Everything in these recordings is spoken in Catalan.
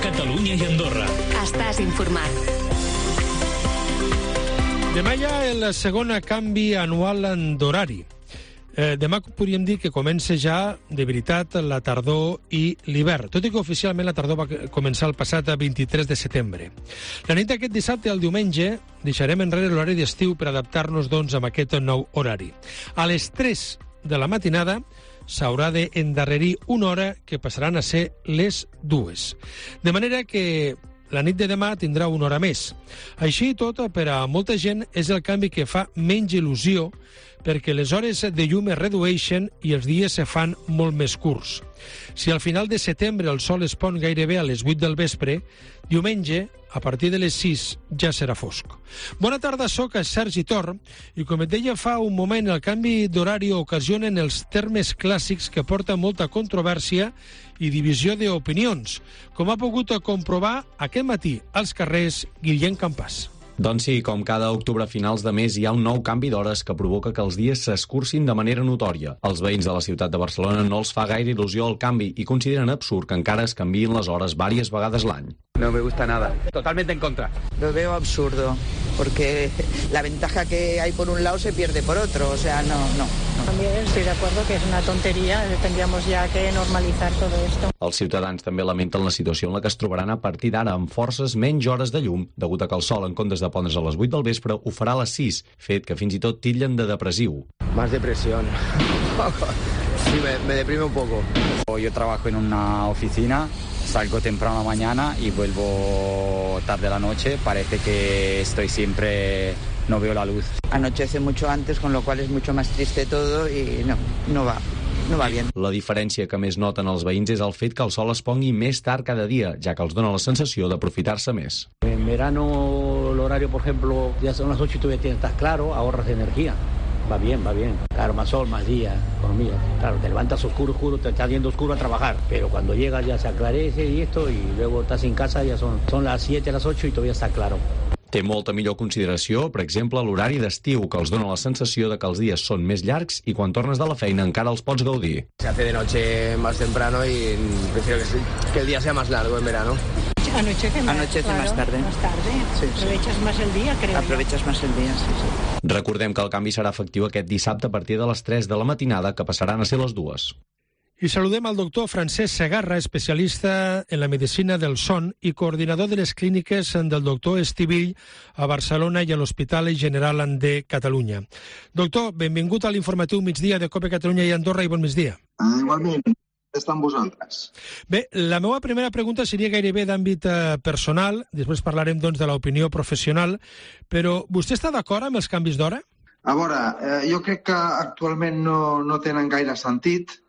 Catalunya i Andorra. Estàs informat. Demà hi ha el segon canvi anual d'horari. Demà podríem dir que comença ja, de veritat, la tardor i l'hivern, tot i que oficialment la tardor va començar el passat 23 de setembre. La nit d'aquest dissabte al diumenge deixarem enrere l'horari d'estiu per adaptar-nos, doncs, a aquest nou horari. A les 3 de la matinada s'haurà d'endarrerir una hora que passaran a ser les 2. De manera que la nit de demà tindrà una hora més. Així i tot, per a molta gent és el canvi que fa menys il·lusió perquè les hores de llum es redueixen i els dies se fan molt més curts. Si al final de setembre el sol es pon gairebé a les 8 del vespre, diumenge, a partir de les 6, ja serà fosc. Bona tarda, soc Sergi Tor, i com et deia fa un moment, el canvi d'horari ocasionen els termes clàssics que porten molta controvèrsia i divisió d'opinions, com ha pogut comprovar aquest matí als carrers Guillem Campàs. Doncs sí, com cada octubre a finals de mes hi ha un nou canvi d'hores que provoca que els dies s'escurcin de manera notòria. Els veïns de la ciutat de Barcelona no els fa gaire il·lusió el canvi i consideren absurd que encara es canviïn les hores diverses vegades l'any. No me gusta nada. Totalmente en contra. Lo veo absurdo, porque la ventaja que hay por un lado se pierde por otro, o sea, no. También estoy de acuerdo que es una tontería, tendríamos ya que normalizar todo esto. Els ciutadans també lamenten la situació en la que es trobaran a partir d'ara amb forces menys hores de llum, degut a que el sol, en comptes de pondre's a les 8 del vespre, ho farà a les 6, fet que fins i tot titllen de depressiu. Más depresión. Sí, me deprime un poco. Yo trabajo en una oficina, salgo temprano a la mañana y vuelvo tarde a la noche. Parece que estoy siempre... no veo la luz. Anochece mucho antes, con lo cual es mucho más triste todo y no va bien. La diferència que més noten els veïns és el fet que el sol es pongui més tard cada dia, ja que els dona la sensació d'aprofitar-se més. En verano el horario, por ejemplo, ya son las 8 y todavía estás claro, ahorras de energía. Va bien. Claro, más sol, más día, economía. Claro, te levantas oscuro, te estás yendo oscuro a trabajar, pero cuando llegas ya se aclarece y esto, y luego estás en casa, ya son las 7, las 8 y todavía está claro. Té molta millor consideració, per exemple, l'horari d'estiu, que els dona la sensació de que els dies són més llargs i quan tornes de la feina encara els pots gaudir. Se hace de noche más temprano y prefiero que el día sea más largo en verano. Anochece más tarde. Más tarde. Sí. Aprovechas más el día, creo. Aprovechas más el día, sí. Recordem que el canvi serà efectiu aquest dissabte a partir de les 3 de la matinada, que passaran a ser les 2. I saludem al doctor Francesc Segarra, especialista en la medicina del son i coordinador de les clíniques del doctor Estivill a Barcelona i a l'Hospital General de Catalunya. Doctor, benvingut a l'informatiu migdia de COPE Catalunya i Andorra i bon migdia. Igualment, està amb vosaltres. Bé, la meva primera pregunta seria gairebé d'àmbit personal, després parlarem doncs de l'opinió professional, però vostè està d'acord amb els canvis d'hora? A veure, jo crec que actualment no tenen gaire sentit.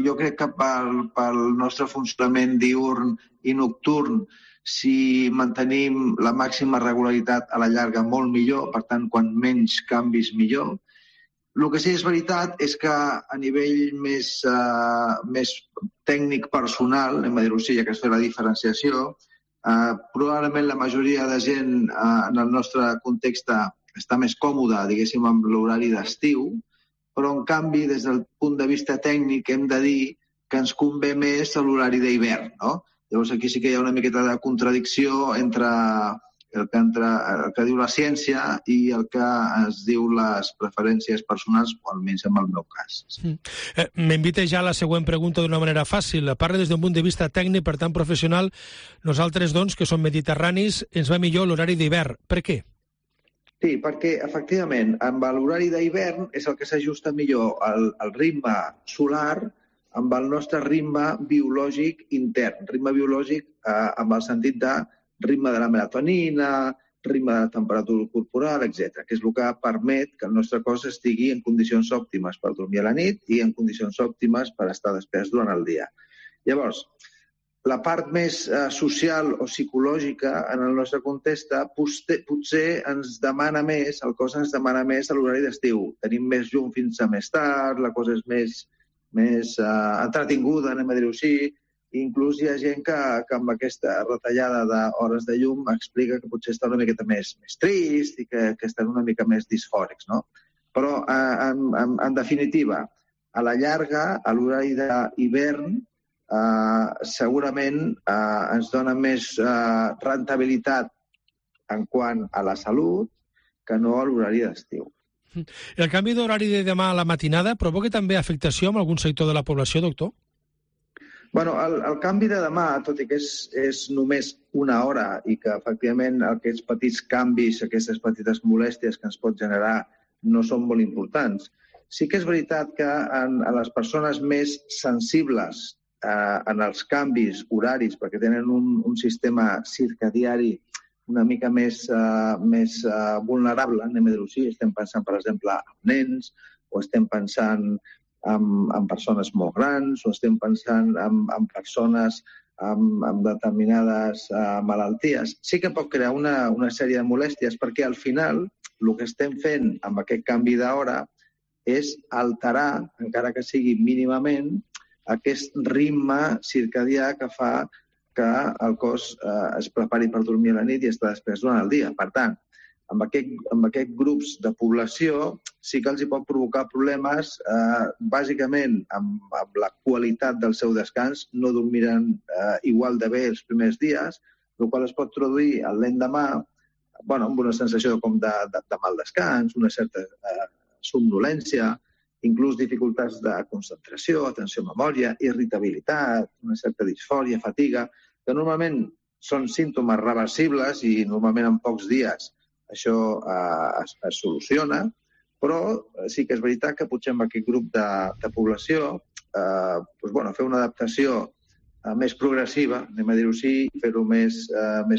Jo crec que pel nostre funcionament diürn i nocturn, si mantenim la màxima regularitat a la llarga, molt millor, per tant, quan menys canvis, millor. El que sí és veritat és que a nivell més tècnic personal, hem de dir-ho així, ja que es fa la diferenciació, probablement la majoria de gent en el nostre context està més còmoda, diguéssim, amb l'horari d'estiu, però, en canvi, des del punt de vista tècnic, hem de dir que ens convé més a l'horari d'hivern, no? Llavors, aquí sí que hi ha una miqueta de contradicció entre el que diu la ciència i el que es diu les preferències personals, o almenys en el meu cas. M'invita ja a la següent pregunta d'una manera fàcil. Parla des d'un punt de vista tècnic, per tant, professional. Nosaltres, doncs, que som mediterranis, ens va millor l'horari d'hivern. Per què? Sí, perquè, efectivament, amb l'horari d'hivern és el que s'ajusta millor al ritme solar amb el nostre ritme biològic intern. Ritme biològic amb el sentit de ritme de la melatonina, ritme de la temperatura corporal, etc., que és el que permet que el nostre cos estigui en condicions òptimes per dormir a la nit i en condicions òptimes per estar despert durant el dia. Llavors, la part més social o psicològica en el nostre context potser ens demana més, el cos ens demana més a l'horari d'estiu. Tenim més llum fins a més tard, la cosa és més entretinguda, anem a dir-ho així, i inclús hi ha gent que amb aquesta retallada d'hores de llum explica que potser està una miqueta més trist i que estan una mica més disfòrics, no? Però, en definitiva, a la llarga, a l'horari d'hivern, segurament ens dona més rentabilitat en quant a la salut que no a l'horari d'estiu. El canvi d'horari de demà a la matinada provoca també afectació en algun sector de la població, doctor? Bueno, el canvi de demà, tot i que és només una hora i que efectivament aquests petits canvis, aquestes petites molèsties que ens pot generar no són molt importants, sí que és veritat que a les persones més sensibles en els canvis horaris, perquè tenen un sistema circadiari una mica més vulnerable, anem a dir-ho així, estem pensant, per exemple, en nens, o estem pensant en persones molt grans, o estem pensant en persones amb determinades malalties. Sí que pot crear una sèrie de molèsties, perquè al final el que estem fent amb aquest canvi d'hora és alterar, encara que sigui mínimament, aquest ritme circadià que fa que el cos es prepari per dormir a la nit i estar després durant el dia. Per tant, amb aquests grups de població sí que els hi pot provocar problemes, bàsicament amb la qualitat del seu descans. No dormiran igual de bé els primers dies, el qual es pot traduir l'endemà amb una sensació com de mal descans, una certa somnolència, inclús dificultats de concentració, atenció a memòria, irritabilitat, una certa disfòria, fatiga, que normalment són símptomes reversibles i normalment en pocs dies això es soluciona, però sí que és veritat que potser amb aquest grup de població fer una adaptació més progressiva, anem a dir-ho així, fer-ho més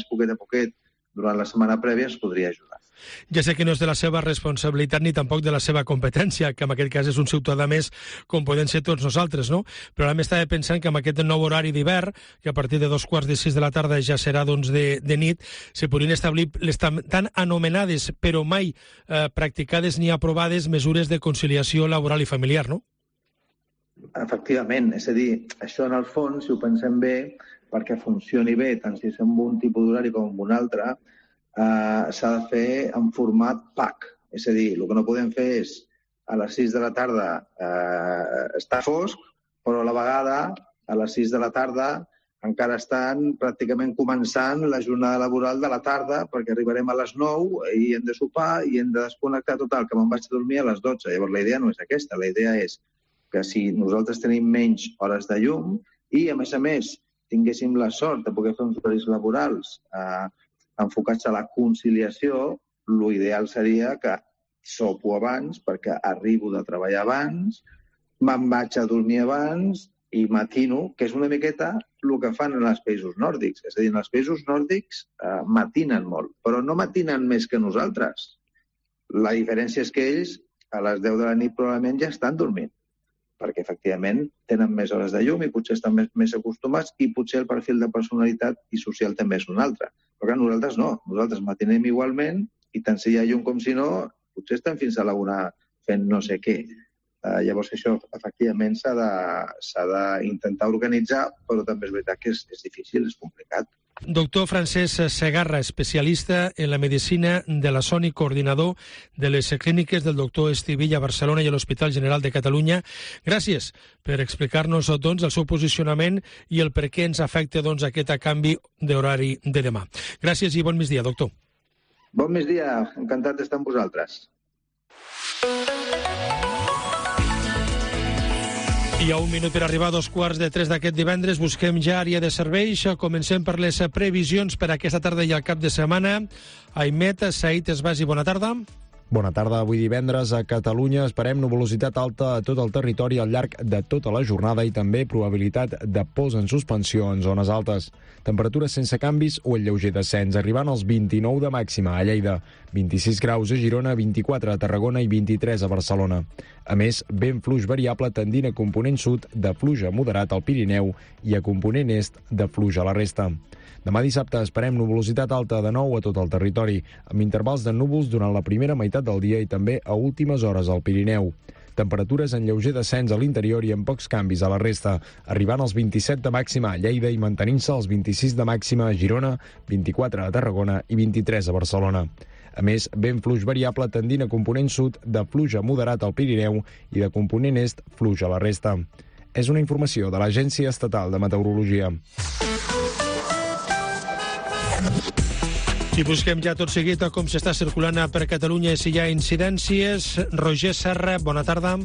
poquet a poquet durant la setmana prèvia ens podria ajudar. Ja sé que no és de la seva responsabilitat ni tampoc de la seva competència, que en aquest cas és un ciutadà més com podem ser tots nosaltres, no? Però ara m'estava pensant que amb aquest nou horari d'hivern, que a partir de 5:45 de la tarda ja serà de nit, se podrien establir les tan anomenades, però mai practicades ni aprovades, mesures de conciliació laboral i familiar, no? Efectivament, és a dir, això en el fons, si ho pensem bé, perquè funcioni bé, tant si és amb un tipus d'horari com amb un altre, s'ha de fer en format PAC. És a dir, el que no podem fer és a les 6 de la tarda estar fosc, però a la vegada a les 6 de la tarda encara estan pràcticament començant la jornada laboral de la tarda, perquè arribarem a les 9 i hem de sopar i hem de desconnectar total, que me'n vaig a dormir a les 12. Llavors la idea no és aquesta, la idea és que si nosaltres tenim menys hores de llum i, a més, tinguéssim la sort de poder fer uns horaris laborals enfocats a la conciliació, l'ideal seria que sopo abans perquè arribo de treballar abans, me'n vaig a dormir abans i matino, que és una miqueta el que fan en els països nòrdics. És a dir, en els països nòrdics matinen molt, però no matinen més que nosaltres. La diferència és que ells a les 10 de la nit probablement ja estan dormint, perquè efectivament tenen més hores de llum i potser estan més acostumats i potser el perfil de personalitat i social també és un altre. Però que nosaltres no, nosaltres matinem igualment i tant si hi ha llum com si no, potser estem fins a la una fent no sé què. Llavors això efectivament s'ha d'intentar organitzar, però també és veritat que és difícil, és complicat. Doctor Francesc Segarra, especialista en la medicina de la son i coordinador de les clíniques del doctor Estivilla a Barcelona i a l'Hospital General de Catalunya. Gràcies per explicar-nos el seu posicionament i el per què ens afecta aquest canvi d'horari de demà. Gràcies i bon migdia, doctor. Bon migdia, encantat d'estar amb vosaltres. I a un minut per arribar a 2:45 d'aquest divendres busquem ja àrea de serveis. Comencem per les previsions per aquesta tarda i al cap de setmana. Aimet Said Esbasi, bona tarda. Bona tarda. Avui divendres a Catalunya esperem nuvolositat alta a tot el territori al llarg de tota la jornada i també probabilitat de pols en suspensió en zones altes. Temperatures sense canvis o el lleuger descens, arribant als 29 de màxima a Lleida, 26 graus a Girona, 24 a Tarragona i 23 a Barcelona. A més, vent fluix variable tendint a component sud de fluix a moderat al Pirineu i a component est de fluix a la resta. Demà dissabte esperem nuvolositat alta de nou a tot el territori, amb intervals de núvols durant la primera meitat del dia i també a últimes hores al Pirineu. Temperatures en lleuger descens a l'interior i amb pocs canvis a la resta, arribant als 27 de màxima a Lleida i mantenint-se als 26 de màxima a Girona, 24 a Tarragona i 23 a Barcelona. A més, vent fluix variable tendint a component sud de fluix a moderat al Pirineu i de component est fluix a la resta. És una informació de l'Agència Estatal de Meteorologia. I busquem ja tot seguit com s'està circulant per Catalunya i si hi ha incidències. Roger Serra, bona tarda.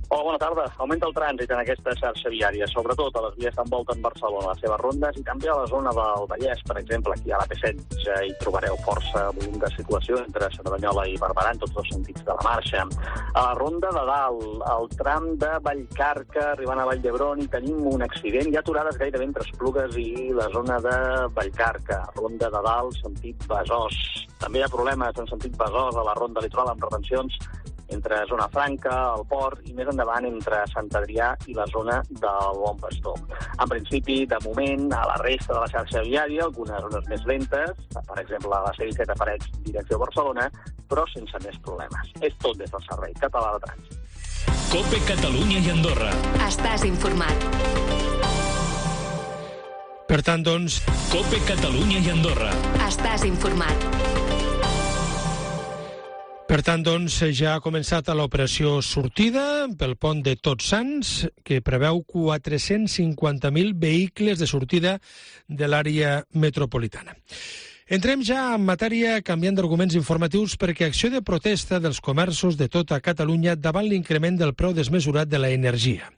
Hola, bona tarda. Augmenta el trànsit en aquesta xarxa viària, sobretot a les vies que envolten Barcelona, les seves rondes, i també a la zona del Vallès, per exemple, aquí a la P16 ja hi trobareu força volum de circulació entre Cerdanyola i Barberà, en tots dos sentits de la marxa. A la ronda de dalt, al tram de Vallcarca, arribant a Vall d'Hebron, hi tenim un accident. Hi ha aturades gairebé entre Esplugues i la zona de Vallcarca. Ronda de dalt, sentit Besòs. També hi ha problemes en sentit Besòs a la ronda litoral amb retencions entre Zona Franca, el Port, i més endavant entre Sant Adrià i la zona del Bon Pastor. En principi, de moment, a la resta de la xarxa viària, algunes zones més lentes, per exemple, a la C-17 a Parets, direcció Barcelona, però sense més problemes. És tot des del Servei Català de Trànsit. COPE Catalunya i Andorra. Estàs informat. Per tant, doncs... COPE Catalunya i Andorra. Estàs informat. Per tant, doncs, ja ha començat l'operació sortida pel pont de Tots Sants, que preveu 450.000 vehicles de sortida de l'àrea metropolitana. Entrem ja en matèria canviant d'arguments informatius perquè acció de protesta dels comerços de tota Catalunya davant l'increment del preu desmesurat de l'energia.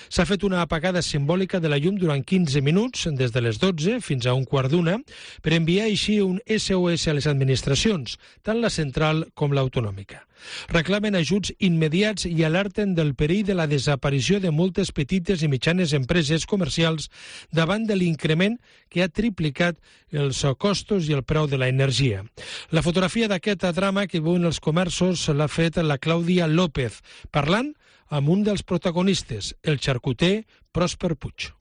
S'ha fet una apagada simbòlica de la llum durant 15 minuts, des de les 12 fins a 1:15, per enviar així un SOS a les administracions, tant la central com l'autonòmica. Reclamen ajuts immediats i alerten del perill de la desaparició de moltes petites i mitjanes empreses comercials davant de l'increment que ha triplicat els costos i el preu de l'energia. La fotografia d'aquest drama que viuen els comerços l'ha fet la Clàudia López, parlant amb un dels protagonistes, el xarcuter Pròsper Puig.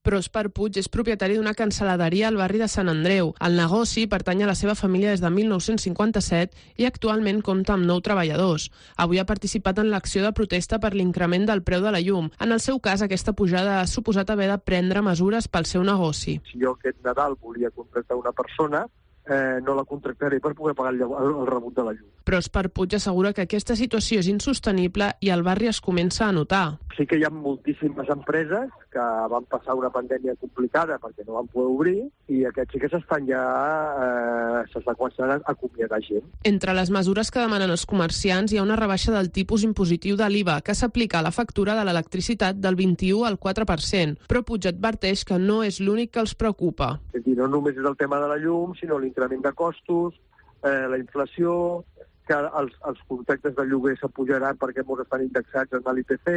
Pròsper Puig és propietari d'una cancel·laderia al barri de Sant Andreu. El negoci pertany a la seva família des de 1957 i actualment compta amb 9 treballadors. Avui ha participat en l'acció de protesta per l'increment del preu de la llum. En el seu cas, aquesta pujada ha suposat haver de prendre mesures pel seu negoci. Si jo aquest Nadal volia contractar una persona, no la contractaré per poder pagar el rebut de la llum. Pròsper Puig assegura que aquesta situació és insostenible i el barri es comença a notar. Sí que hi ha moltíssimes empreses que van passar una pandèmia complicada perquè no van poder obrir i aquests sí que s'estan començant a acomiadar gent. Entre les mesures que demanen els comerciants hi ha una rebaixa del tipus impositiu de l'IVA que s'aplica a la factura de l'electricitat del 21 al 4%, però Puig adverteix que no és l'únic que els preocupa. És a dir, no només és el tema de la llum, sinó l'increment de costos, la inflació, que els contractes de lloguer s'apujaran perquè molts estan indexats en l'IPC,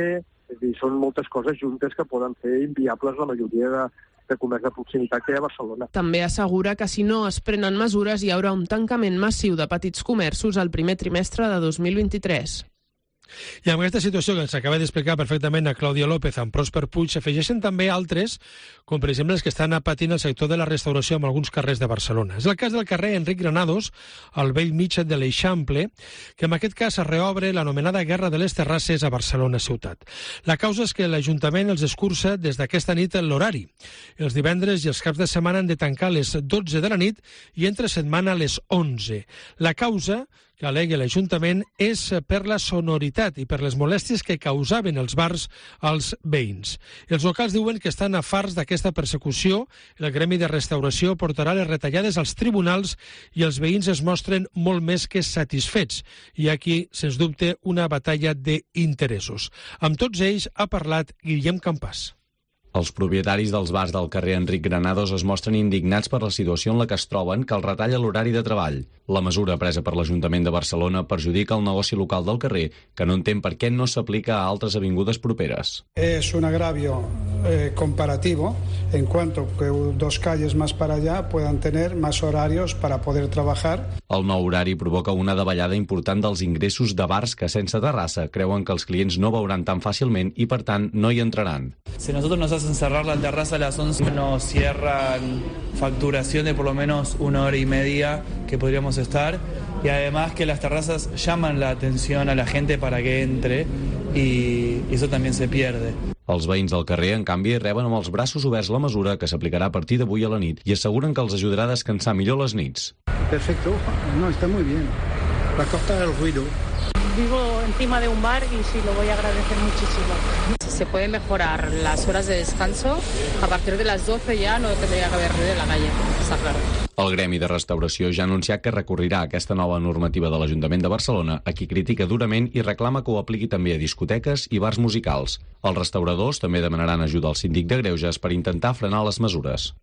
és a dir, són moltes coses juntes que poden fer inviables la majoria de comerç de proximitat que hi ha a Barcelona. També assegura que si no es prenen mesures hi haurà un tancament massiu de petits comerços al primer trimestre de 2023. I amb aquesta situació que ens acaba d'explicar perfectament a Clàudia López amb Pròsper Puig, s'afegeixen també altres, com per exemple els que estan patint el sector de la restauració en alguns carrers de Barcelona. És el cas del carrer Enric Granados, al vell mig de l'Eixample, que en aquest cas es reobre l'anomenada Guerra de les Terrasses a Barcelona ciutat. La causa és que l'Ajuntament els escurça des d'aquesta nit l'horari. Els divendres i els caps de setmana han de tancar a les 12 de la nit i entre setmana a les 11. La causa que al·legui l'Ajuntament és per la sonoritat i per les molèsties que causaven els bars als veïns. Els locals diuen que estan afarts d'aquesta persecució, el Gremi de Restauració portarà les retallades als tribunals i els veïns es mostren molt més que satisfets. I aquí, sens dubte, una batalla d'interessos. Amb tots ells ha parlat Guillem Campàs. Els propietaris dels bars del carrer Enric Granados es mostren indignats per la situació en la que es troben que els retalla l'horari de treball. La mesura presa per l'Ajuntament de Barcelona perjudica el negoci local del carrer, que no entén per què no s'aplica a altres avingudes properes. Es un agravio comparativo en cuanto que dos calles más para allá puedan tener más horarios para poder trabajar. El nou horari provoca una davallada important dels ingressos de bars que sense terrassa creuen que els clients no veuran tan fàcilment i per tant no hi entraran. Si nosotros nos hacen cerrar la terraza a las 11, nos cierran facturación de por lo menos 1 hora y media que podríamos estar, y además que las terrazas llaman la atención a la gente para que entre y eso también se pierde. Els veïns del carrer, en canvi, reben amb els braços oberts la mesura que s'aplicarà a partir d'avui a la nit i asseguren que els ajudarà a descansar millor les nits. Perfecto, no, está muy bien. Va a cortar el ruido. vivo encima de un bar y sí, lo voy a agradecer muchísimo. Se puede mejorar las horas de descanso. A partir de las 12 ya no tendría que haber ruido en la calle, está claro. El Gremi de Restauració ja ha anunciat que recorrirà aquesta nova normativa de l'Ajuntament de Barcelona, a qui critica durament i reclama que ho apliqui també a discoteques i bars musicals. Els restauradors també demanaran ajuda al síndic de Greuges per intentar frenar les mesures.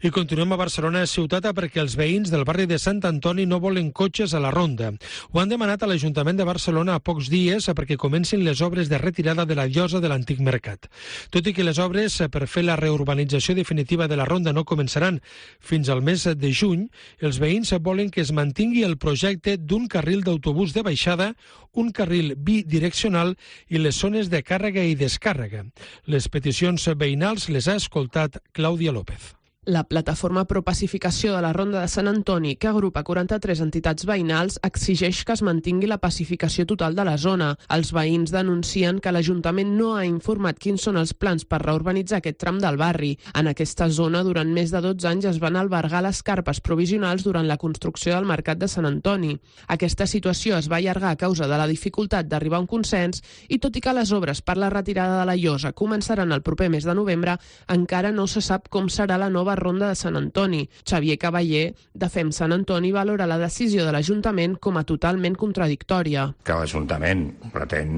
I continuem a Barcelona ciutat perquè els veïns del barri de Sant Antoni no volen cotxes a la ronda. Ho han demanat a l'Ajuntament de Barcelona a pocs dies perquè comencin les obres de retirada de la llosa de l'antic mercat. Tot i que les obres per fer la reurbanització definitiva de la ronda no començaran fins al mes de juny, els veïns volen que es mantingui el projecte d'un carril d'autobús de baixada, un carril bidireccional i les zones de càrrega i descàrrega. Les peticions veïnals les ha escoltat Clàudia López. La plataforma Pro Pacificació de la Ronda de Sant Antoni, que agrupa 43 entitats veïnals, exigeix que es mantingui la pacificació total de la zona. Els veïns denuncien que l'Ajuntament no ha informat quins són els plans per reurbanitzar aquest tram del barri. En aquesta zona, durant més de 12 anys, es van albergar les carpes provisionals durant la construcció del Mercat de Sant Antoni. Aquesta situació es va allargar a causa de la dificultat d'arribar a un consens i, tot i que les obres per la retirada de la llosa començaran el proper mes de novembre, encara no se sap com serà la nova ronda de Sant Antoni. Xavier Cavaller, de Fem Sant Antoni, valora la decisió de l'Ajuntament com a totalment contradictòria. Que l'Ajuntament pretén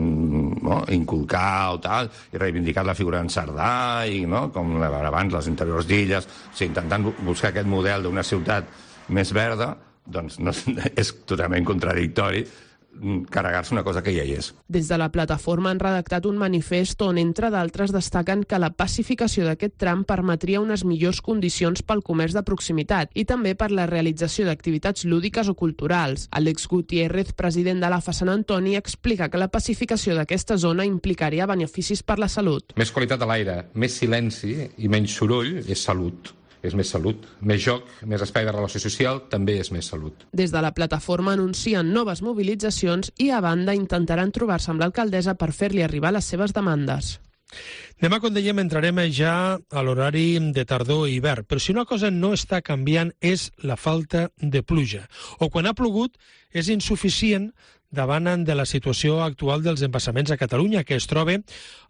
inculcar o tal, i reivindicar la figura d'en Cerdà, i, com abans, les interiors d'illes, intentant buscar aquest model d'una ciutat més verda, doncs és totalment contradictori carregar-se una cosa que ja hi és. Des de la plataforma han redactat un manifest on, entre d'altres, destaquen que la pacificació d'aquest tram permetria unes millors condicions pel comerç de proximitat i també per la realització d'activitats lúdiques o culturals. Àlex Gutiérrez, president de l'AFA Sant Antoni, explica que la pacificació d'aquesta zona implicaria beneficis per la salut. Més qualitat a l'aire, més silenci i menys soroll és salut. És més salut. Més joc, més espai de relació social, també és més salut. Des de la plataforma anuncien noves mobilitzacions i, a banda, intentaran trobar-se amb l'alcaldessa per fer-li arribar les seves demandes. Demà, com dèiem, entrarem ja a l'horari de tardor i hivern, però si una cosa no està canviant és la falta de pluja. O quan ha plogut és insuficient davant de la situació actual dels embassaments a Catalunya, que es troba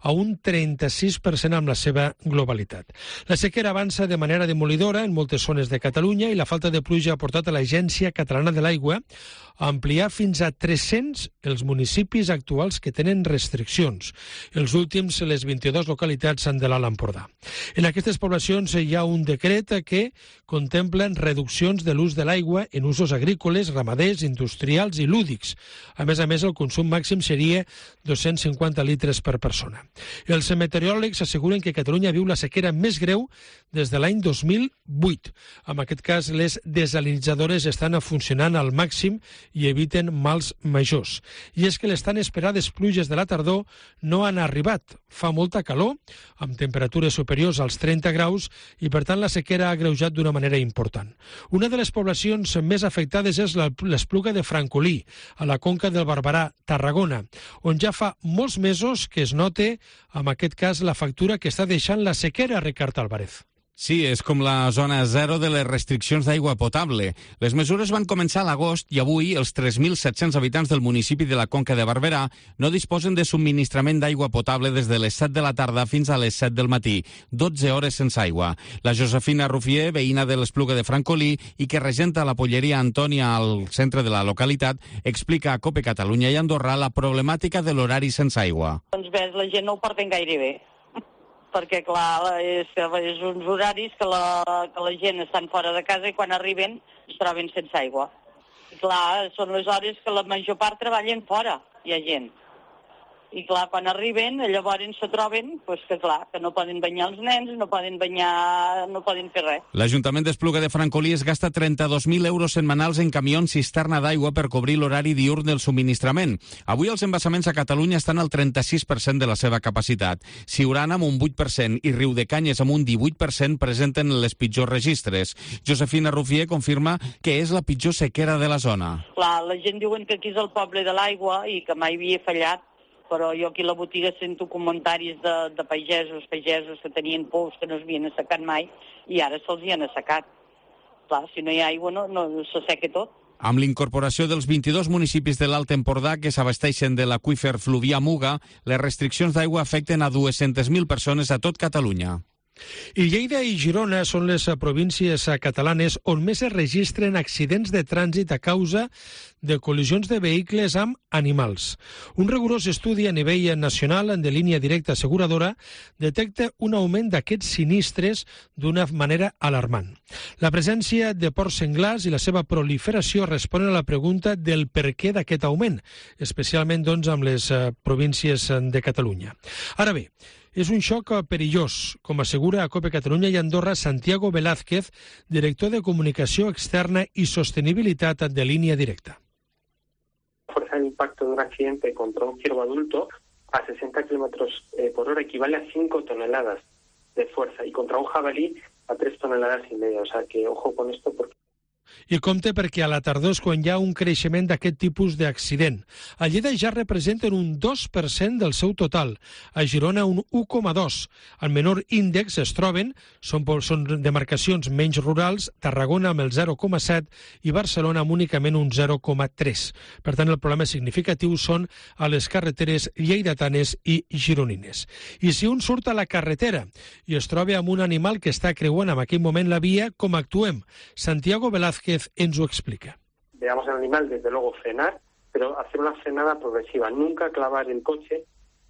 a un 36% amb la seva globalitat. La sequera avança de manera demolidora en moltes zones de Catalunya i la falta de pluja ha portat a l'Agència Catalana de l'Aigua a ampliar fins a 300 els municipis actuals que tenen restriccions. Els últims, les 22 localitats de l'Alt Empordà. En aquestes poblacions hi ha un decret que contempla reduccions de l'ús de l'aigua en usos agrícoles, ramaders, industrials i lúdics. A més, el consum màxim seria 250 litres per persona. Els meteoròlegs asseguren que Catalunya viu la sequera més greu des de l'any 2008. En aquest cas, les desalinitzadores estan funcionant al màxim i eviten mals majors. I és que les tan esperades pluges de la tardor no han arribat. Fa molta calor, amb temperatures superiors als 30 graus, i per tant la sequera ha agreujat d'una manera important. Una de les poblacions més afectades és l'Espluga de Francolí, a la conca del Barberà, Tarragona, on ja fa molts mesos que es nota, en aquest cas, la factura que està deixant la sequera, Ricard Álvarez. Sí, és com la zona zero de les restriccions d'aigua potable. Les mesures van començar a l'agost i avui els 3.700 habitants del municipi de la Conca de Barberà no disposen de subministrament d'aigua potable des de les 7 de la tarda fins a les 7 del matí, 12 hores sense aigua. La Josefina Rufier, veïna de l'Espluga de Francolí i que regenta la polleria Antònia al centre de la localitat, explica a COPE Catalunya i Andorra la problemàtica de l'horari sense aigua. Doncs bé, la gent no ho porten gaire bé, perquè, clar, és uns horaris que la gent estan fora de casa i quan arriben es troben sense aigua. I, clar, són les hores que la major part treballen fora, hi ha gent. I, clar, quan arriben, llavors se troben que, clar, que no poden banyar els nens, no poden banyar, no poden fer res. L'Ajuntament d'Espluga de Francolí es gasta 32.000 euros setmanals en camions cisterna d'aigua per cobrir l'horari diürn del subministrament. Avui els embassaments a Catalunya estan al 36% de la seva capacitat. Siurana amb un 8% i Riudecanyes amb un 18% presenten les pitjors registres. Josefina Rufier confirma que és la pitjor sequera de la zona. Clar, la gent diuen que aquí és el poble de l'aigua i que mai havia fallat, però jo aquí a la botiga sento comentaris de pagesos que tenien pous que no s'havien assecat mai i ara se'ls hi han assecat. Clar, si no hi ha aigua no s'asseca tot. Amb l'incorporació dels 22 municipis de l'Alt Empordà que s'abasteixen de l'aqüífer Fluvià Muga, les restriccions d'aigua afecten a 200.000 persones a tot Catalunya. I Lleida i Girona són les províncies catalanes on més es registren accidents de trànsit a causa de col·lisions de vehicles amb animals. Un rigorós estudi a nivell nacional de línia directa asseguradora detecta un augment d'aquests sinistres d'una manera alarmant. La presència de porcs senglars i la seva proliferació responen a la pregunta del per què d'aquest augment, especialment amb les províncies de Catalunya. Ara bé, és un xoc perillós, com assegura a COPE Catalunya i Andorra Santiago Velázquez, director de Comunicació Externa y Sostenibilitat de Línea Directa. La fuerza de impacto de un accidente contra un ciervo adulto a 60 km por hora equivale a 5 toneladas de fuerza y contra un jabalí a 3,5 toneladas. O sea que ojo con esto porque... I compte perquè a la tardor és quan hi ha un creixement d'aquest tipus d'accident. A Lleida ja representen un 2% del seu total, a Girona un 1,2%. El menor índex es troben, són demarcacions menys rurals, Tarragona amb el 0,7% i Barcelona amb únicament un 0,3%. Per tant, el problema significatiu són a les carreteres lleidatanes i gironines. I si un surt a la carretera i es troba amb un animal que està creuant en aquell moment la via, com actuem? Santiago Velázquez ens ho explica. Veamos al animal, desde luego frenar, pero hacer una frenada progresiva. Nunca clavar el coche,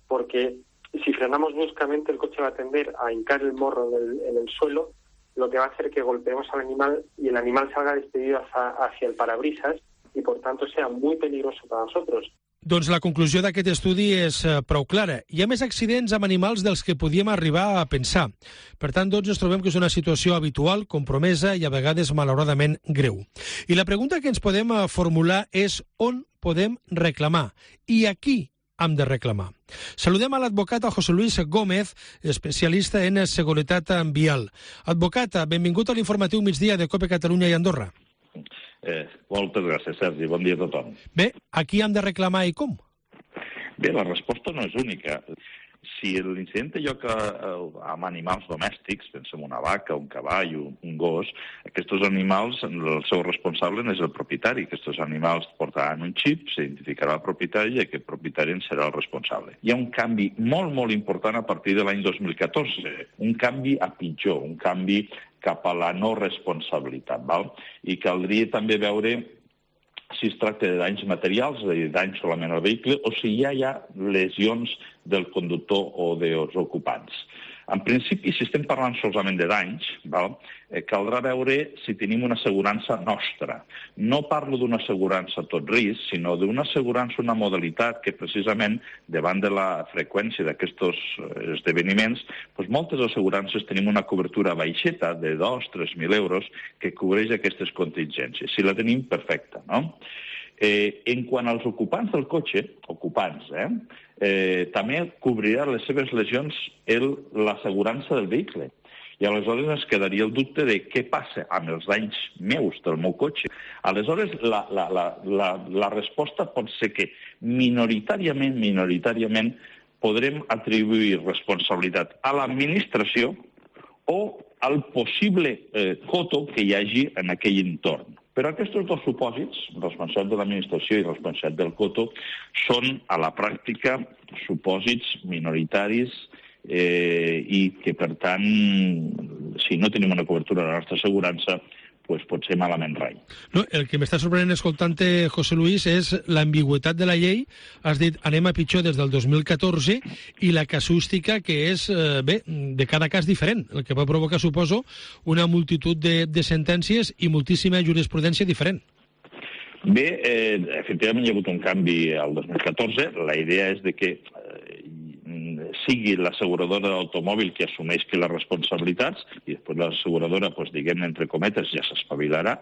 porque si frenamos bruscamente el coche va a tender a hincar el morro en el suelo, lo que va a hacer que golpeemos al animal y el animal salga despedido hacia el parabrisas y por tanto sea muy peligroso para nosotros. Doncs la conclusió d'aquest estudi és prou clara. Hi ha més accidents amb animals dels que podíem arribar a pensar. Per tant, ens trobem que és una situació habitual, compromesa i a vegades malauradament greu. I la pregunta que ens podem formular és on podem reclamar i a qui hem de reclamar. Saludem a l'advocat José Luis Gómez, especialista en seguretat vial. Advocat, benvingut a l'informatiu migdia de COPE Catalunya i Andorra. Moltes gràcies, Sergi. Bon dia a tothom. Bé, a qui hem de reclamar i com? Bé, la resposta no és única. Si l'incident té lloc amb animals domèstics, pensem una vaca, un cavall, un gos, aquests animals, el seu responsable és el propietari. Aquests animals portaran un xip, s'identificarà el propietari i aquest propietari en serà el responsable. Hi ha un canvi molt, molt important a partir de l'any 2014, un canvi a pitjor, un canvi cap a la no responsabilitat, val? I caldria també veure si es tracta de danys materials, de danys solament al vehicle, o si ja hi ha lesions del conductor o dels ocupants. En principi, si estem parlant solament de danys, caldrà veure si tenim una assegurança nostra. No parlo d'una assegurança a tot risc, sinó d'una assegurança, una modalitat que precisament, davant de la freqüència d'aquests esdeveniments, moltes assegurances tenim una cobertura baixeta de 2.000-3.000 euros que cobreix aquestes contingències. Si la tenim, perfecte, no? En quant als ocupants del cotxe, també cobrirà les seves lesions l'assegurança del vehicle. I aleshores ens quedaria el dubte de què passa amb els danys meus del meu cotxe. Aleshores, la resposta pot ser que minoritàriament podrem atribuir responsabilitat a l'administració o al possible coto que hi hagi en aquell entorn. Però aquests dos supòsits, responsabilitat de l'administració i responsabilitat del coto, són a la pràctica supòsits minoritaris i que, per tant, si no tenim una cobertura de la nostra assegurança, pot ser malament rai. No, el que m'està sorprenent escoltant-te, José Luis, és l'ambigüitat de la llei. Has dit, anem a pitjor des del 2014, i la casuística que és, de cada cas diferent, el que va provocar, suposo, una multitud de sentències i moltíssima jurisprudència diferent. Bé, efectivament hi ha hagut un canvi al 2014. La idea és de que sigui l'asseguradora d'automòbil que assumeixi les responsabilitats i després l'asseguradora, diguem-ne, entre cometes, ja s'espavilarà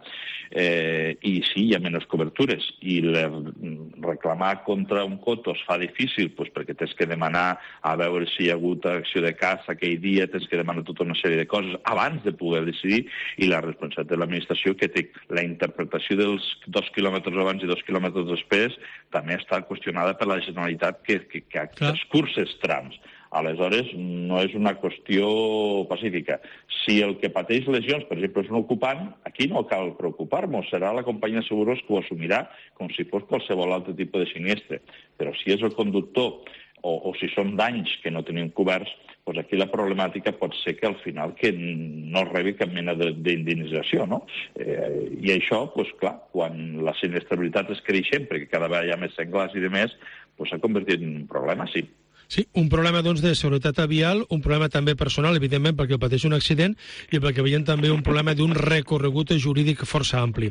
i sí, hi ha menys cobertures i reclamar contra un coto es fa difícil perquè tens que demanar a veure si hi ha hagut acció de caça aquell dia, tens que demanar tota una sèrie de coses abans de poder decidir i la responsabilitat de l'administració que té la interpretació dels 2 quilòmetres abans i 2 quilòmetres després també està qüestionada per la Generalitat que excursa els trams. Aleshores, no és una qüestió pacífica. Si el que pateix lesions, per exemple, és un ocupant, aquí no cal preocupar-nos. Serà la companyia de seguros que ho assumirà com si fos qualsevol altre tipus de sinistre. Però si és el conductor o si són danys que no tenim coberts, doncs aquí la problemàtica pot ser que al final que no rebi cap mena d'indemnització, no? I això, doncs clar, quan la sinistralitat és creixent, perquè cada vegada hi ha més senglars i demés, doncs s'ha convertit en un problema, sí. Sí, un problema doncs, de seguretat vial, un problema també personal, evidentment, perquè pateix un accident i perquè veiem també un problema d'un recorregut jurídic força ampli.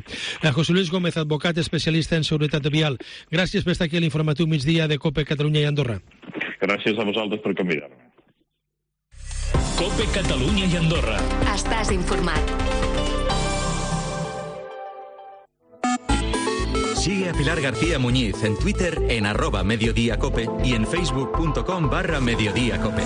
José Luis Gómez, advocat especialista en seguretat vial, gràcies per estar aquí a l'informatiu migdia de COPE Catalunya i Andorra. Gràcies a vosaltres per convidar-me. COPE Catalunya i Andorra. Estàs informat. Sigue a Pilar García Muñiz en Twitter en @mediodíacope y en facebook.com/mediodíacope.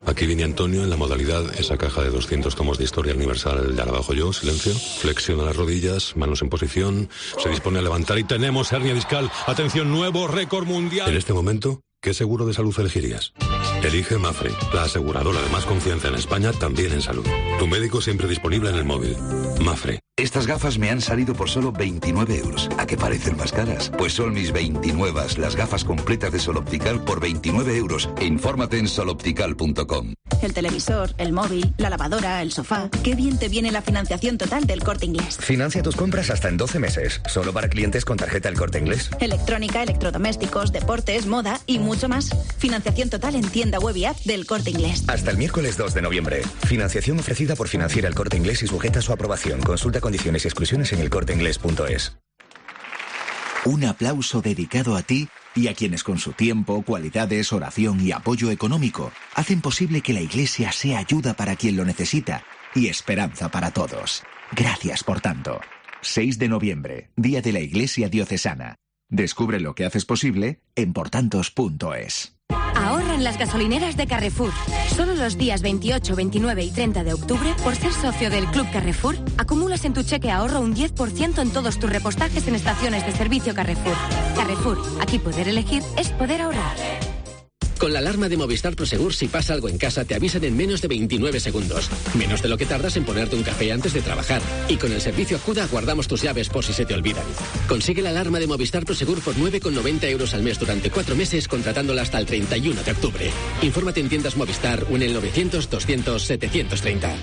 Aquí viene Antonio en la modalidad, esa caja de 200 tomos de historia universal. Ya la bajo yo, silencio. Flexiona las rodillas, manos en posición. Se dispone a levantar y tenemos hernia discal. Atención, nuevo récord mundial. En este momento, ¿qué seguro de salud elegirías? Elige Mafre, la aseguradora de más confianza en España, también en salud. Tu médico siempre disponible en el móvil. Mafre. Estas gafas me han salido por solo 29 euros. ¿A qué parecen más caras? Pues son mis 29, las gafas completas de Sol Optical por 29 euros. Infórmate en soloptical.com. El televisor, el móvil, la lavadora, el sofá. Qué bien te viene la financiación total del Corte Inglés. Financia tus compras hasta en 12 meses. Solo para clientes con tarjeta El Corte Inglés. Electrónica, electrodomésticos, deportes, moda y mucho más. Financiación total en tienda web y app del Corte Inglés. Hasta el miércoles 2 de noviembre. Financiación ofrecida por Financiera El Corte Inglés y sujeta a su aprobación. Consulta condiciones y exclusiones en elcorteinglés.es. Un aplauso dedicado a ti y a quienes con su tiempo, cualidades, oración y apoyo económico hacen posible que la Iglesia sea ayuda para quien lo necesita y esperanza para todos. Gracias por tanto. 6 de noviembre, Día de la Iglesia Diocesana. Descubre lo que haces posible en portantos.es. Ahorra en las gasolineras de Carrefour. Solo los días 28, 29 y 30 de octubre, por ser socio del Club Carrefour, acumulas en tu cheque ahorro un 10% en todos tus repostajes en estaciones de servicio Carrefour. Carrefour, aquí poder elegir es poder ahorrar. Con la alarma de Movistar Prosegur, si pasa algo en casa, te avisan en menos de 29 segundos. Menos de lo que tardas en ponerte un café antes de trabajar. Y con el servicio Acuda guardamos tus llaves por si se te olvidan. Consigue la alarma de Movistar Prosegur por 9,90 euros al mes durante 4 meses, contratándola hasta el 31 de octubre. Infórmate en tiendas Movistar o en el 900 200 730.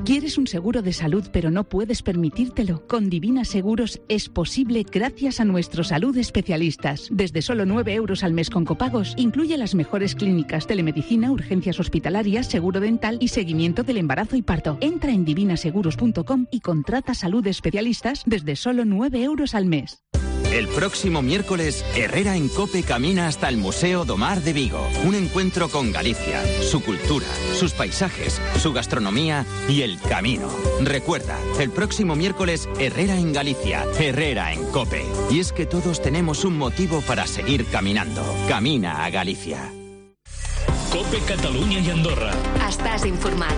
¿Quieres un seguro de salud pero no puedes permitírtelo? Con Divina Seguros es posible gracias a nuestros salud especialistas. Desde solo 9 euros al mes con copagos, incluye las mejores clínicas, telemedicina, urgencias hospitalarias, seguro dental y seguimiento del embarazo y parto. Entra en divinaseguros.com y contrata salud especialistas desde solo 9 euros al mes. El próximo miércoles, Herrera en COPE camina hasta el Museo do Mar de Vigo. Un encuentro con Galicia, su cultura, sus paisajes, su gastronomía y el camino. Recuerda, el próximo miércoles, Herrera en Galicia, Herrera en COPE. Y es que todos tenemos un motivo para seguir caminando. Camina a Galicia. COPE Catalunya i Andorra. Estàs informat.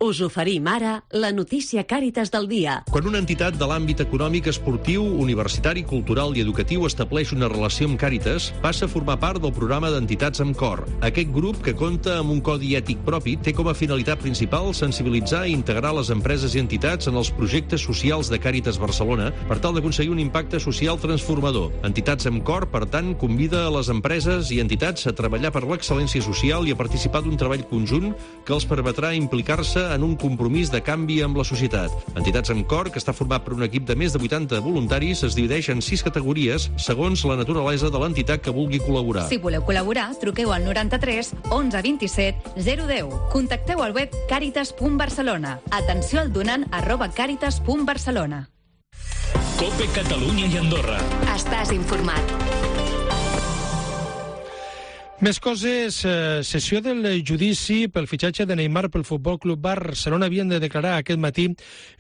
Us oferim ara la notícia Càritas del dia. Quan una entitat de l'àmbit econòmic, esportiu, universitari, cultural i educatiu estableix una relació amb Càritas, passa a formar part del programa d'entitats amb cor. Aquest grup, que compta amb un codi ètic propi, té com a finalitat principal sensibilitzar i integrar les empreses i entitats en els projectes socials de Càritas Barcelona per tal d'aconseguir un impacte social transformador. Entitats amb cor, per tant, convida a les empreses i entitats a treballar per l'excel·lència social i a participar d'un treball conjunt que els permetrà implicar-se en un compromís de canvi amb la societat. Entitats amb cor, que està format per un equip de més de 80 voluntaris, es divideix en 6 categories segons la naturalesa de l'entitat que vulgui col·laborar. Si voleu col·laborar, truqueu al 93 11 27 010. Contacteu al web caritas.barcelona. Atenció al donant @caritas.barcelona. COPE Catalunya i Andorra. Estàs informat. Més coses. Sessió del judici pel fitxatge de Neymar pel Futbol Club Barcelona havien de declarar aquest matí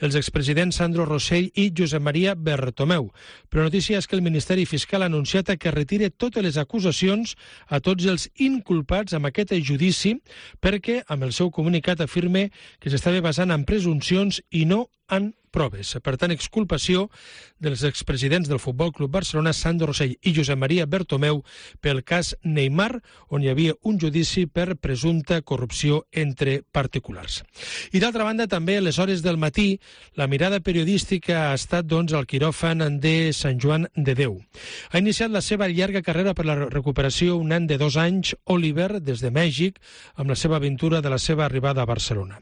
els expresidents Sandro Rosell i Josep Maria Bertomeu. Però la notícia és que el Ministeri Fiscal ha anunciat que retira totes les acusacions a tots els inculpats amb aquest judici perquè, amb el seu comunicat, afirma que s'estava basant en presumpcions i no en proves. Per tant, exculpació dels expresidents del Futbol Club Barcelona, Sandro Rosell i Josep Maria Bertomeu, pel cas Neymar, on hi havia un judici per presumpta corrupció entre particulars. I d'altra banda, també a les hores del matí, la mirada periodística ha estat al quiròfan de Sant Joan de Déu. Ha iniciat la seva llarga carrera per la recuperació un nen de 2 anys, Oliver, des de Mèxic, amb la seva aventura de la seva arribada a Barcelona.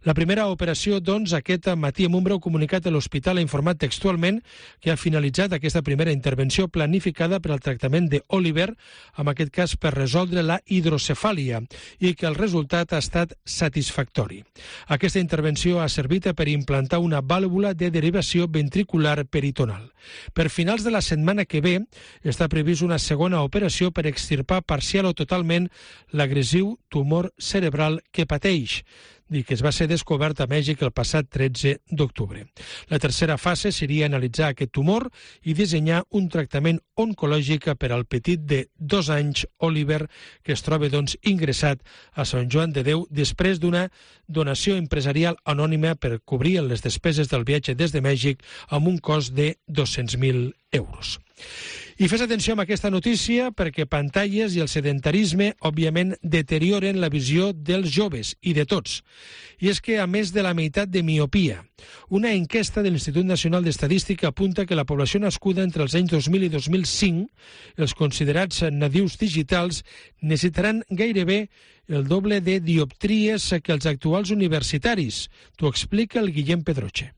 La primera operació, aquest matí amb un breu comunicat de l'hospital ha informat textualment que ha finalitzat aquesta primera intervenció planificada per al tractament d'Oliver, en aquest cas per resoldre la hidrocefàlia, i que el resultat ha estat satisfactori. Aquesta intervenció ha servit per implantar una vàlvula de derivació ventricular peritonal. Per finals de la setmana que ve està previst una segona operació per extirpar parcial o totalment l'agressiu tumor cerebral que pateix, i que es va ser descobert a Mèxic el passat 13 d'octubre. La tercera fase seria analitzar aquest tumor i dissenyar un tractament oncològic per al petit de 2 anys, Oliver, que es troba ingressat a Sant Joan de Déu després d'una donació empresarial anònima per cobrir les despeses del viatge des de Mèxic amb un cost de 200.000 euros. I fes atenció amb aquesta notícia perquè pantalles i el sedentarisme, òbviament, deterioren la visió dels joves i de tots. I és que, a més de la meitat de miopia, una enquesta de l'Institut Nacional d'Estadística apunta que la població nascuda entre els anys 2000 i 2005, els considerats nadius digitals, necessitaran gairebé el doble de dioptries que els actuals universitaris. T'ho explica el Guillem Pedroche.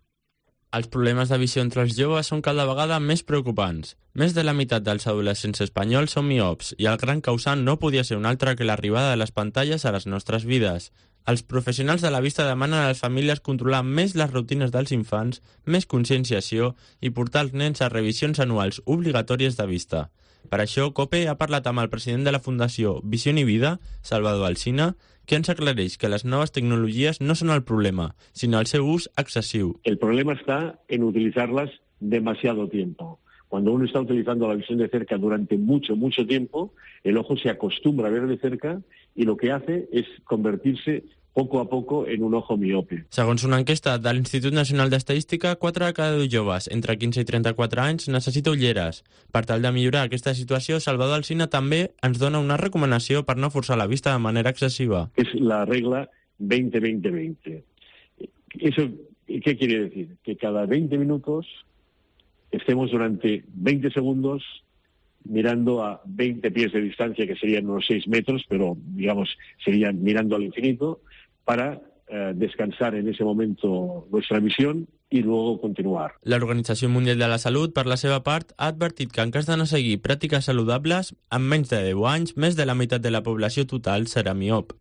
Els problemes de visió entre els joves són cada vegada més preocupants. Més de la meitat dels adolescents espanyols són miops i el gran causant no podia ser un altre que l'arribada de les pantalles a les nostres vides. Els professionals de la vista demanen a les famílies controlar més les rutines dels infants, més conscienciació i portar els nens a revisions anuals obligatòries de vista. Per això, COPE ha parlat amb el president de la Fundació Visión y Vida, Salvador Alsina, que ens aclareix que les noves tecnologies no són el problema, sinó el seu ús excesiu. El problema está en utilizarlas demasiado tiempo. Cuando uno está utilizando la visión de cerca durante mucho tiempo, el ojo se acostumbra a ver de cerca y lo que hace es convertirse poco a poco en un ojo miope. Segons una enquesta de l'Institut Nacional d'Estadística, 4 de cada 10 joves entre 15 i 34 anys necessita ulleres. Per tal de millorar aquesta situació, Salvador Alsina també ens dona una recomanació per no forçar la vista de manera excesiva. Es la regla 20-20-20. ¿Eso qué quiere decir? Que cada 20 minutos estemos durante 20 segundos mirando a 20 pies de distancia, que serían unos 6 metros, pero digamos serían mirando al infinito, para descansar en ese momento nuestra visión i luego continuar. L'Organització Mundial de la Salut, per la seva part, ha advertit que en cas de no seguir pràctiques saludables, en menys de 10 anys, més de la meitat de la població total serà miop.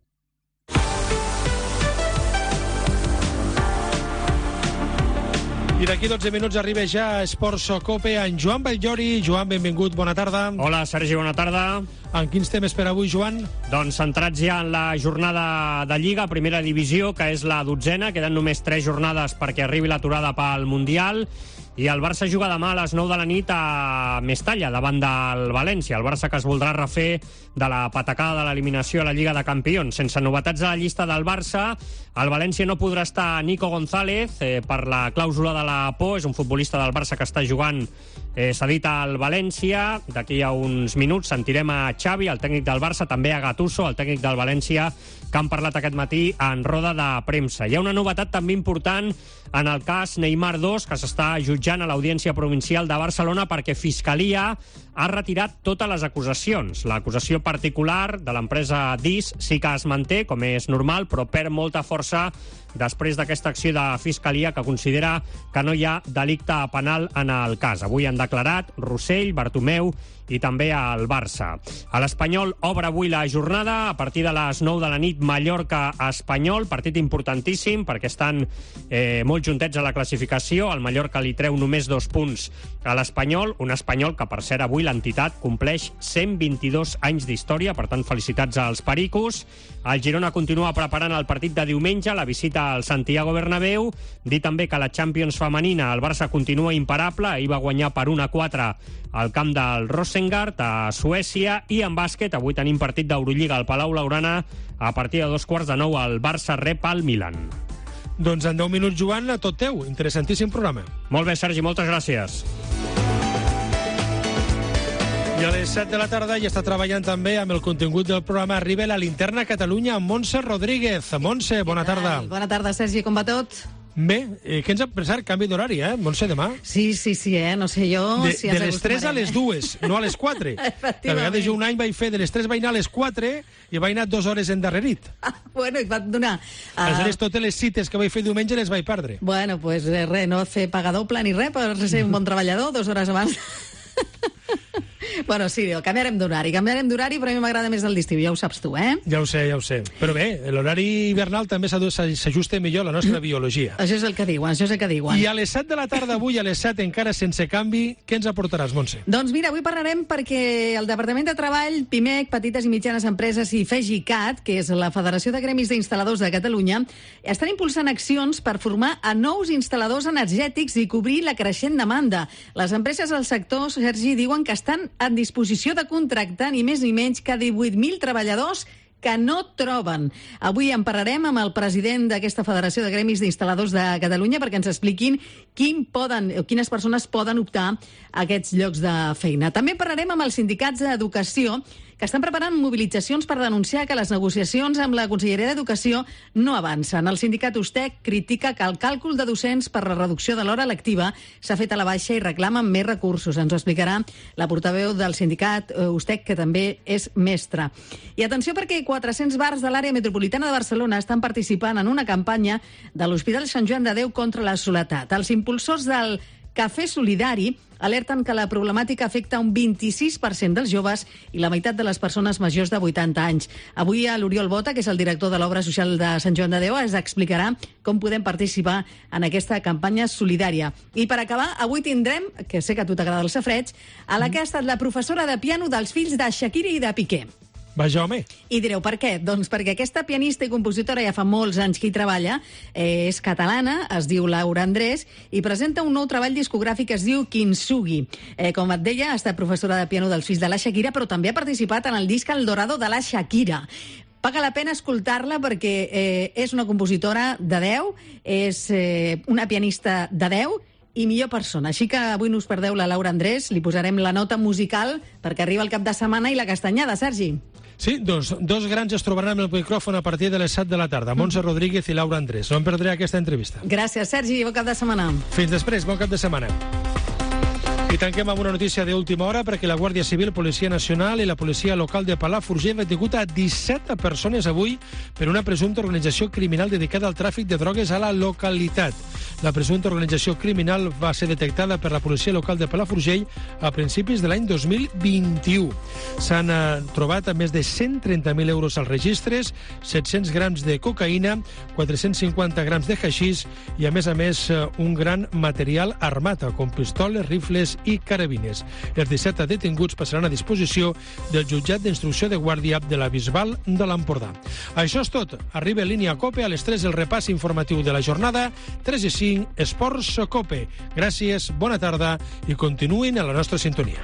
I d'aquí 12 minuts arriba ja a Esports Cope en Joan Batllori. Joan, benvingut, bona tarda. Hola, Sergi, bona tarda. En quins temes per avui, Joan? Doncs centrats ja en la jornada de Lliga, primera divisió, que és la 12a. Queden només 3 jornades perquè arribi l'aturada pel Mundial. I el Barça juga demà a les 9 de la nit a Mestalla, davant del València. El Barça que es voldrà refer de la patacada de l'eliminació a la Lliga de Campions. Sense novetats a la llista del Barça, al València no podrà estar Nico González per la clàusula de la por. És un futbolista del Barça que està jugant cedit al València. D'aquí a uns minuts sentirem a Xavi, el tècnic del Barça, també a Gattuso, el tècnic del València, que han parlat aquest matí en roda de premsa. Hi ha una novetat també important en el cas Neymar 2, que s'està jutjant a l'Audiència Provincial de Barcelona perquè Fiscalia ha retirat totes les acusacions. L'acusació particular de l'empresa DIS sí que es manté, com és normal, però perd molta força després d'aquesta acció de Fiscalia que considera que no hi ha delicte penal en el cas. Avui han declarat Rossell, Bartomeu i també al Barça. A l'Espanyol obre avui la jornada a partir de les 9 de la nit, Mallorca-Espanyol, partit importantíssim perquè estan molt juntets a la classificació. El Mallorca li treu només 2 punts a l'Espanyol, un Espanyol que, per cert, avui l'entitat compleix 122 anys d'història, per tant, felicitats als pericos. El Girona continua preparant el partit de diumenge, la visita al Santiago Bernabéu. Dir també que la Champions femenina, el Barça continua imparable, ahir va guanyar per 1-4 al camp del Rosengard a Suècia. I en bàsquet, avui tenim partit d'Eurolliga al Palau Blaugrana a partir de 15:15 el Barça rep al Milan. Doncs en 10 minuts, Joan, a tot teu. Interessantíssim programa. Molt bé, Sergi, moltes gràcies. I a les 7 de la tarda ja està treballant també amb el contingut del programa Arriba la Linterna Catalunya amb Montse Rodríguez. Montse, bona tarda. Bona tarda, Sergi, com va tot? Bé, què ens ha pensat? Canvi d'horari, Montse, demà? Sí, no sé jo... De les 3 a les 2, no a les 4. De vegades jo un any vaig fer de les 3 vaig anar a les 4 i vaig anar 2 hores endarrerit. Bueno, i va donar... Aleshores, totes les cites que vaig fer diumenge les vaig perdre. Bueno, pues res, no fer pagar doble ni res per ser un bon treballador 2 hores abans. Bueno, sí, canviarem d'horari, però a mi m'agrada més el d'estiu, ja ho saps tu, Ja ho sé. Però bé, l'horari hivernal també s'ajusta millor a la nostra biologia. Això és el que diuen, I a les 7 de la tarda, avui, a les 7, encara sense canvi, què ens aportaràs, Montse? Doncs mira, avui parlarem perquè el Departament de Treball, PIMEC, Petites i Mitjanes Empreses i FEGICAT, que és la Federació de Gremis d'Instal·ladors de Catalunya, estan impulsant accions per formar a nous instal·ladors energètics i cobrir la creixent demanda. Les empreses del sector, Sergi, diuen que estan en disposició de contractar ni més ni menys que 18.000 treballadors que no troben. Avui en parlarem amb el president d'aquesta Federació de Gremis d'Instal·ladors de Catalunya perquè ens expliquin quines persones poden optar a aquests llocs de feina. També parlarem amb els sindicats d'educació que estan preparant mobilitzacions per denunciar que les negociacions amb la Conselleria d'Educació no avancen. El sindicat USTEC critica que el càlcul de docents per la reducció de l'hora lectiva s'ha fet a la baixa i reclamen més recursos. Ens ho explicarà la portaveu del sindicat USTEC, que també és mestra. I atenció perquè 400 bars de l'àrea metropolitana de Barcelona estan participant en una campanya de l'Hospital Sant Joan de Déu contra la soledat. Els impulsors del Cafè Solidari alerten que la problemàtica afecta un 26% dels joves i la meitat de les persones majors de 80 anys. Avui l'Oriol Bota, que és el director de l'obra social de Sant Joan de Déu, ens explicarà com podem participar en aquesta campanya solidària. I per acabar, avui tindrem, que sé que a tu t'agrada el safareig, a la que ha estat la professora de piano dels fills de Shakira i de Piqué. Vaja, home. I direu, per què? Doncs perquè aquesta pianista i compositora ja fa molts anys que hi treballa, és catalana, es diu Laura Andrés, i presenta un nou treball discogràfic que es diu Kintsugi. Com et deia, ha estat professora de piano dels fills de la Shakira, però també ha participat en el disc El Dorado de la Shakira. Paga la pena escoltar-la perquè és una compositora de 10, és una pianista de 10, i millor persona. Així que avui no us perdeu la Laura Andrés, li posarem la nota musical perquè arriba el cap de setmana i la castanyada, Sergi. Sí, dos grans es trobaran amb el micròfon a partir de les 7 de la tarda, Montse Rodríguez i Laura Andrés. No em perdré aquesta entrevista. Gràcies, Sergi, bon cap de setmana. Fins després, bon cap de setmana. I tanquem amb una notícia d'última hora perquè la Guàrdia Civil, Policia Nacional i la Policia Local de Palafrugell han detingut a 17 persones avui per una presumpta organització criminal dedicada al tràfic de drogues a la localitat. La presumpta organització criminal va ser detectada per la Policia Local de Palafrugell a principis de l'any 2021. S'han trobat més de 130.000 euros als registres, 700 grams de cocaïna, 450 grams de haixís i, a més, un gran material armat, com pistoles, rifles i carabines. Els 17 detinguts passaran a disposició del jutjat d'instrucció de Guàrdia de la Bisbal de l'Empordà. Això és tot. Arriba en línia COPE a les 3 el repàs informatiu de la jornada. 3 i 5, Esports COPE. Gràcies, bona tarda i continuïn a la nostra sintonia.